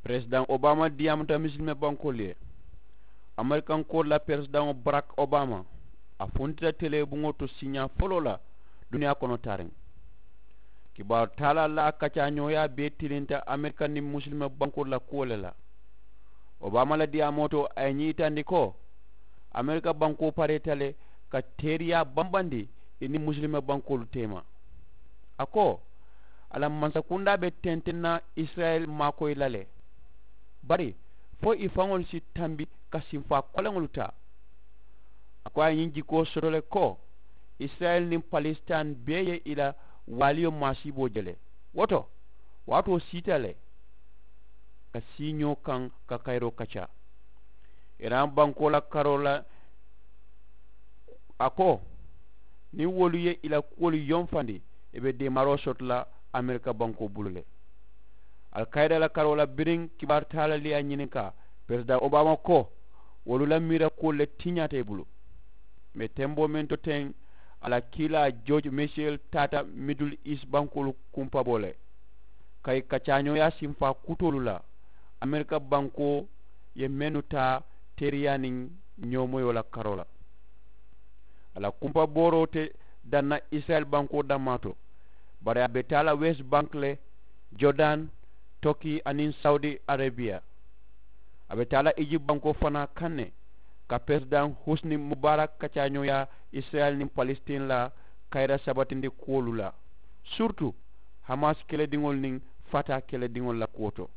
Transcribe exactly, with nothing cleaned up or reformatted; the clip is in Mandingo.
Peresidaŋ obama diyaamuta misilime bankoolu ye. Amerikankoolu la peresidaŋo barak obama, a funtita telebuŋo to siiñaa foloo la duniyaa kono taariŋ. Kibaaru taalaa la a kaccaañooyaa bee tilinta amerika niŋ misilime bankoolu la kuwo le la. Obama la diyaamoo to a ye ñiŋ yitandi ko amerika bankoo pareeta le ka teeriyaa bambandi i niŋ misilime bankoolu teema. A ko a la mansakundaa be tenteŋ na isirayil maakoyi la le, bari fo i faŋolu si tambi ka sinfaa koleŋolu taa. A ko a ye ñiŋ jikoo soto le ko isirayil niŋ palesitan bee ye i la waaliyo maasiiboo je le. Wo to waatoo siita le ka sii ñoo kaŋ ka kayiroo kacca. Iraŋ bankoo la karoo la a ko niŋ wolu ye i la kuwolu yonfandi i be deemaroo soto la amerika bankoo bulu le. Alikayida la karoo la biriŋ kibaaru taalali ye a ñininkaa peresidaŋ obama ko wolu la miira kuwolu le tiñaata i bulu. Mee temboo meŋ to teŋ a la kiilaa george michel taata middle east bankoolu kumpaboo le ka i kaccaañooyaa sinfaa kutoolu la. Amerika bankoo ye mennu taa teeriyaa niŋ ñoomoyoo la karoo la. A la kumpabooroo te daŋ na isirayil bankoo dammaa to, bari a be taa la west bank le, jordan, toki aniŋ sawudi arebiya. A be taa la ijip bankoo fanaa kaŋ ne ka peresidaŋ husni mubarak kaccaañooyaa isirayil niŋ palesitin la kayira sabatindi kuwolu la, siritu hamas kelediŋolu niŋ fataa kelediŋolu la kuwo to.